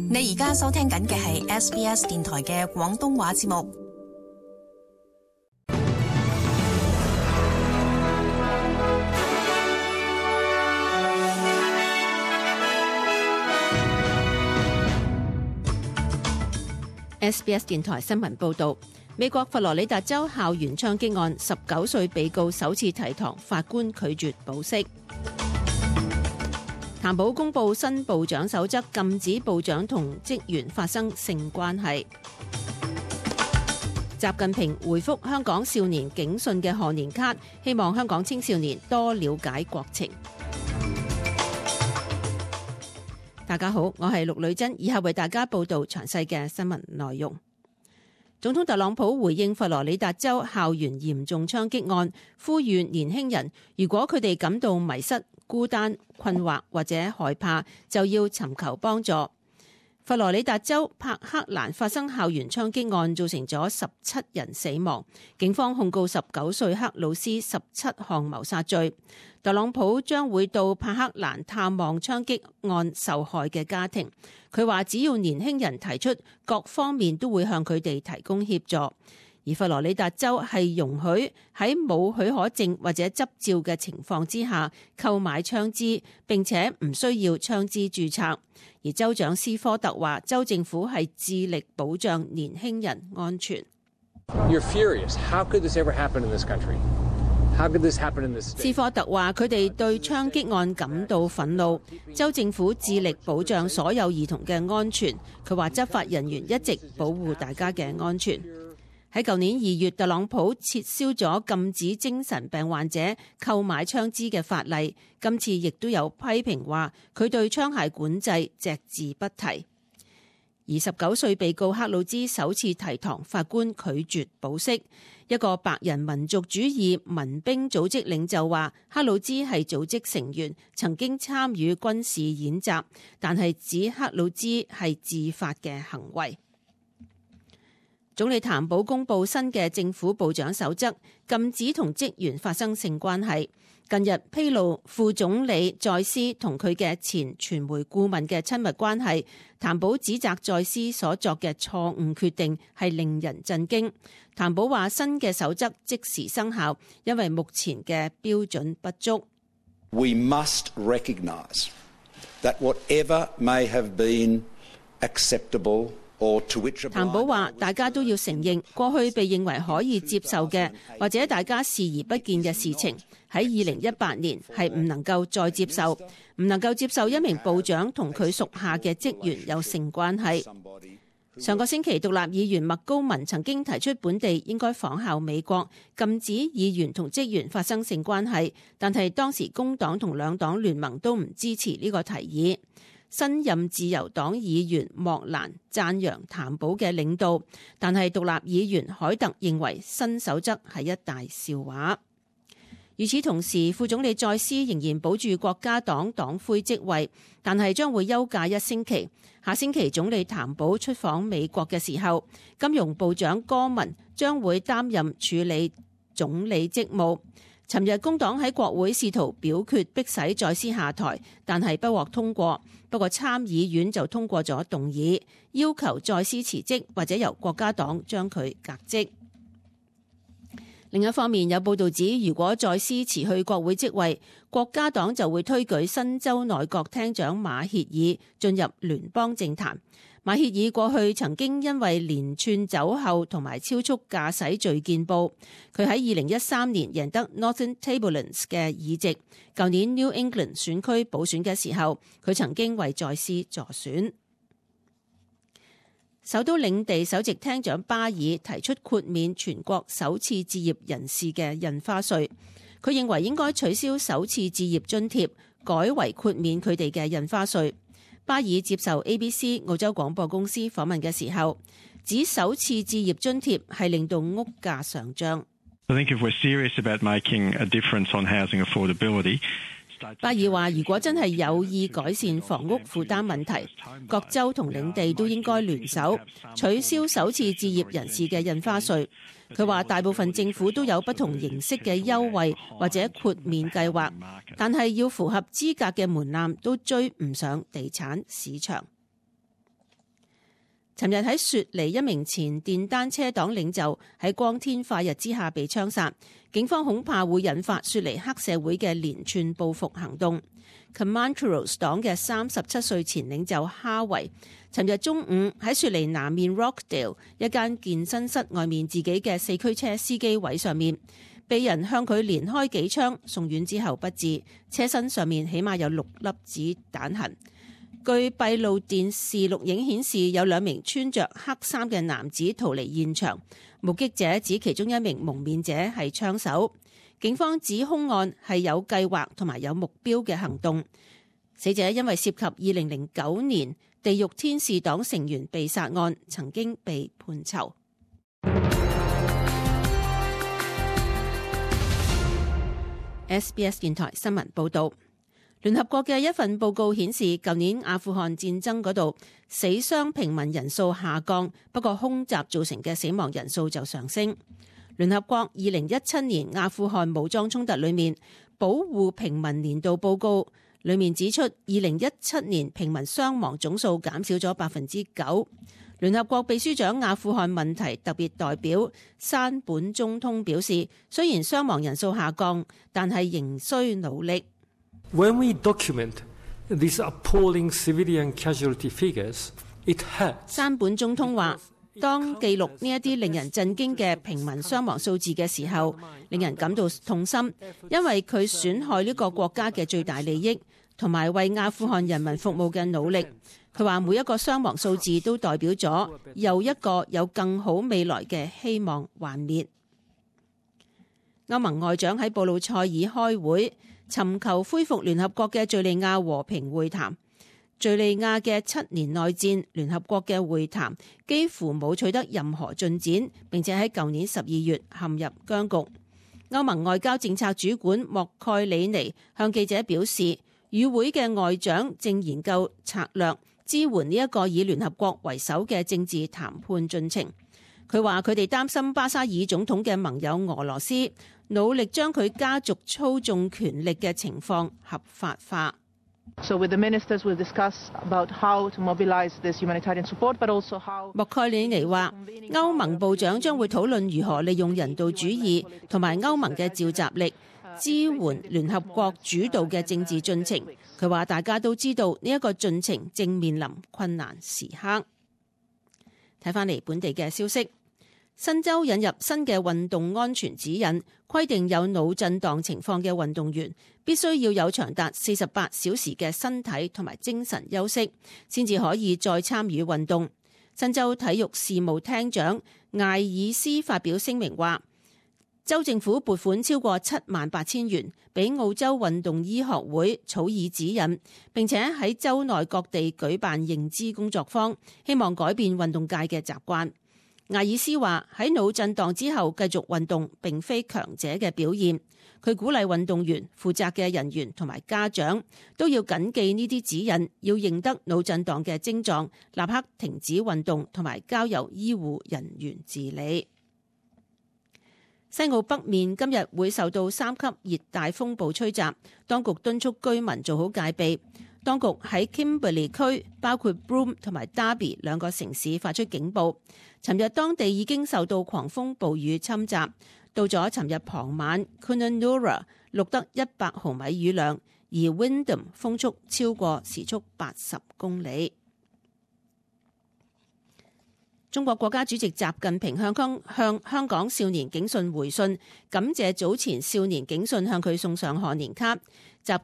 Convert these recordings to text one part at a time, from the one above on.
你而家收聽緊嘅係 SBS 電台嘅廣東話節目。SBS 電台新聞報導，美國佛羅里達州校園槍擊案，19歲被告首次提堂，法官拒絕保釋。譚寶公布新部長守則，禁止部長同職員發生性關係。習近平回覆香港少年警訊嘅賀年卡，希望香港青少年多了解國情。大家好，我係陸女珍，以下為大家報道詳細嘅新聞內容。總統特朗普回應佛羅里達州校園嚴重槍擊案，呼籲年輕人如果佢哋感到迷失、孤單、困惑或者害怕，就要尋求幫助。佛羅里達州柏克蘭發生校園槍擊案，造成咗17人死亡，警方控告19歲克魯斯17項謀殺罪。特朗普將會到柏克蘭探望槍擊案受害嘅家庭。佢話只要年輕人提出，各方面都會向佢哋提供協助。而佛羅里達州係容許喺冇許可證或者執照嘅情況之下購買槍支，並且唔需要槍支註冊。而州長斯科特話，州政府係致力保障年輕人安全。斯科特話，佢哋對槍擊案感到憤怒，州政府致力保障所有兒童嘅安全。佢話執法人員一直保護大家嘅安全。喺舊年2月，特朗普撤銷咗禁止精神病患者購買槍支嘅法例，今次亦都有批評話佢對槍械管制隻字不提。而19歲被告克魯茲首次提堂，法官拒絕保釋。一個白人民族主義民兵組織領袖話，克魯茲係組織成員，曾經參與軍事演習，但係指克魯茲係自發嘅行為。總理譚寶公布新嘅政府部長守則，禁止同職員發生性關係。近日披露副總理在斯同佢嘅前傳媒顧問嘅親密關係，譚寶指責在斯所作嘅錯誤決定係令人震驚。譚寶話新嘅守則即時生效，因為目前嘅標準不足。We must recognize that whatever may have been acceptable。譚寶話：大家都要承認，過去被認為可以接受嘅，或者大家視而不見嘅事情，喺2018年係唔能夠再接受，唔能夠接受一名部長同佢屬下嘅職員有性關係。上個星期，獨立議員麥高文曾經提出本地應該仿效美國，禁止議員同職員發生性關係，但係當時工黨同兩黨聯盟都唔支持呢個提議。新任自由黨議員莫蘭讚揚譚寶嘅領導，但係獨立議員凱特認為新守則係一大笑話。與此同時，副總理在斯仍然保住國家黨黨魁職位，但係將會休假1星期。下星期總理譚寶出訪美國嘅時候，金融部長戈文將會擔任處理總理職務。尋日工黨喺國會試圖表決迫使在斯下台，但係不獲通過。不過參議院就通過咗動議，要求在斯辭職或者由國家黨將佢革職。另一方面，有報道指，如果在斯辭去國會職位，國家黨就會推舉新州內閣廳長馬歇爾進入聯邦政壇。馬歇爾過去曾經因為連串酒後同埋超速駕駛罪見報，佢喺2013年贏得 Northern Tablelands 嘅議席。舊年 New England 選區補選嘅時候，佢曾經為在斯助選。首都領地首席廳長巴爾提出豁免全國首次置業人士嘅印花稅，佢認為應該取消首次置業津貼，改為豁免佢哋嘅印花稅。巴爾接受 ABC 澳洲廣播公司訪問嘅時候，指首次置業津貼係令到屋價上漲。巴爾話：如果真係有意改善房屋負擔問題，各州同領地都應該聯手取消首次置業人士嘅印花稅。佢話大部分政府都有不同形式嘅優惠或者豁免計劃，但係要符合資格嘅門檻都追唔上地產市場。尋日喺雪梨一名前電單車黨領袖喺光天化日之下被槍殺，警方恐怕會引發雪梨黑社會嘅連串報復行動。Comancheros 黨嘅37歲前領袖哈維，尋日中午喺雪梨南面 Rockdale 一間健身室外面自己嘅4驅車司機位上面，被人向佢連開幾槍，送院之後不治，車身上面起碼有6粒子彈痕。據閉路電視錄影顯示，有2名穿着黑衫嘅男子逃離現場，目擊者指其中一名蒙面者係槍手。警方指兇案係有計劃同埋有目標嘅行動。死者因為涉及2009年地獄天使黨成員被殺案，曾經被判囚。SBS 電台新聞報道。聯合國嘅一份報告顯示，舊年阿富汗戰爭嗰度死傷平民人數下降，不過空襲造成嘅死亡人數就上升。聯合國2017年阿富汗武裝衝突裏面保護平民年度報告裏面指出，2017年平民傷亡總數減少咗9%。聯合國秘書長阿富汗問題特別代表山本中通表示，雖然傷亡人數下降，但係仍需努力。When we document these appalling civilian casualty figures, it hurts. 山本中通話，當記錄呢一啲令人震驚嘅平民傷亡數字嘅時候，令人感到痛心，因為佢損害呢個國家嘅最大利益，同埋為阿富汗人民服務嘅努力。佢話每一個傷亡數字都代表咗又一個有更好未來嘅希望幻滅。歐盟外長喺布魯塞爾開會，尋求恢復聯合國嘅敘利亞和平會談。敘利亞嘅7年內戰，聯合國嘅會談幾乎冇取得任何進展，並且喺舊年12月陷入僵局。歐盟外交政策主管莫蓋里尼向記者表示，與會嘅外長正研究策略，支援呢一個以聯合國為首嘅政治談判進程。佢話佢哋擔心巴沙爾總統嘅盟友俄羅斯努力將佢家族操縱權力嘅情況合法化。So with the ministers we'll discuss about how to mobilize this humanitarian support, but also how 莫蓋里尼話，歐盟部長將會討論如何利用人道主義同埋歐盟嘅召集力，支援聯合國主導嘅政治進程。佢話大家都知道呢一個進程正面臨困難時刻。睇返嚟本地嘅消息。新州引入新嘅運動安全指引，規定有腦震盪情況嘅運動員必須要有長達48小時嘅身體同埋精神休息，先至可以再參與運動。新州體育事務廳長艾爾斯發表聲明話，州政府撥款超過78000元俾澳洲運動醫學會草擬指引，並且喺州內各地舉辦認知工作坊，希望改變運動界嘅習慣。艾爾斯話喺腦震盪之後繼續運動並非強者嘅表現，佢鼓勵運動員、負責嘅人員同埋家長都要謹記呢啲指引，要認得腦震盪嘅症狀，立刻停止運動同埋交由醫護人員治理。西澳北面今日會受到3級熱帶風暴吹襲，當局敦促居民做好戒備。當局喺 Kimberley 區，包括 Broome 同埋 Derby 兩個城市發出警報。尋日當地已經受到狂風暴雨侵襲，到咗尋日傍晚 Coonawarra 錄得100毫米雨量，而 Wyndham 風速超過時速80公里。中國國家主席習近平向香港少年警訊回信，感謝早前少年警訊向佢送上賀年卡。習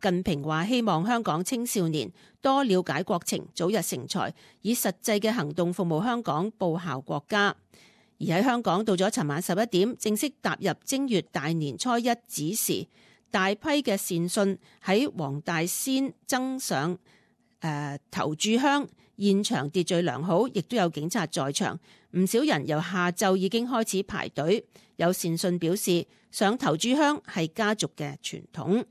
近平話希望香港青少年多了解國情，早日成才，以實際嘅行動服務香港，報效國家。而喺香港到咗尋晚11點，正式踏入正月大年初一子時，大批嘅善信喺黃大仙爭上頭炷香，現場秩序良好，亦都有警察在場，唔少人由下晝已經開始排隊。有善信表示，上頭炷香係家族嘅傳統。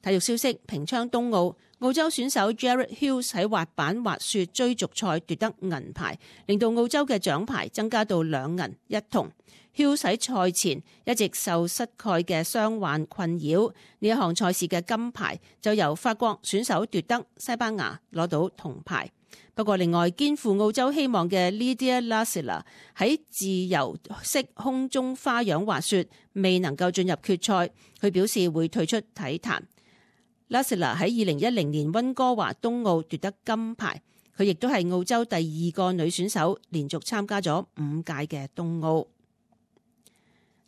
體育消息：平昌冬奧，澳洲選手 Jared Hughes 喺滑板滑雪追逐賽奪得銀牌，令到澳洲嘅獎牌增加到2銀1銅。Hughes 喺賽前一直受膝蓋嘅傷患困擾，呢一項賽事嘅金牌就由法國選手奪得，西班牙攞到銅牌。不過另外肩負澳洲希望嘅 Lydia Lassila 喺自由式空中花樣滑雪未能夠進入決賽，佢表示會退出體壇。Lassila 喺2010年溫哥華冬奧奪得金牌，佢亦都係澳洲第2個女選手，連續參加咗5屆嘅冬奧。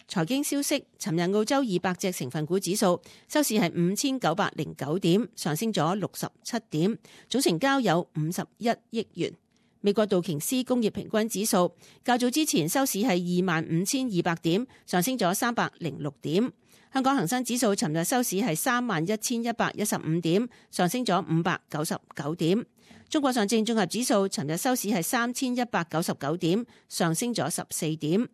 財經消息，尋日澳洲200隻成分股指數收市係5909點，上升咗67點，總成交有51億元。美國道瓊斯工業平均指數較早之前收市係25200點，上升咗306點。香港恒生指數尋日收市係31115點，上升咗599點。中國上證綜合指數尋日收市係3199點，上升咗14點。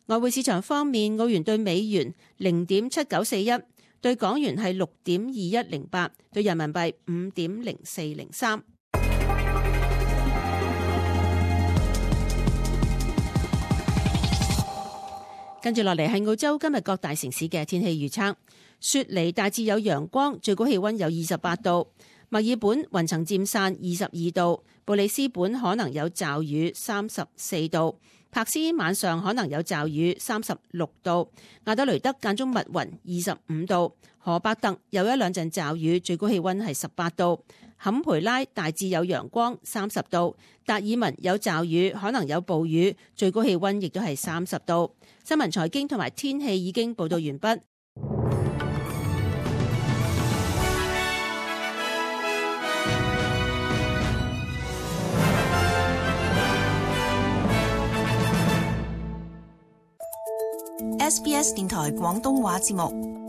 外匯市場方面，澳元對美元0.7941，對港元係6.2108，對人民幣5.0403。跟住落嚟係澳洲今日各大城市嘅天氣預測。雪梨大致有陽光，最高氣溫有28度；墨爾本雲層漸散22度；布里斯本可能有驟雨34度；柏斯晚上可能有驟雨36度；亞德雷德間中密雲25度；荷伯特有一兩陣驟雨，最高氣溫係18度；坎培拉大致有陽光30度；達爾文有驟雨，可能有暴雨，最高氣溫亦都係30度。新聞財經同埋天氣已經報道完畢。SBS 電台廣東話節目。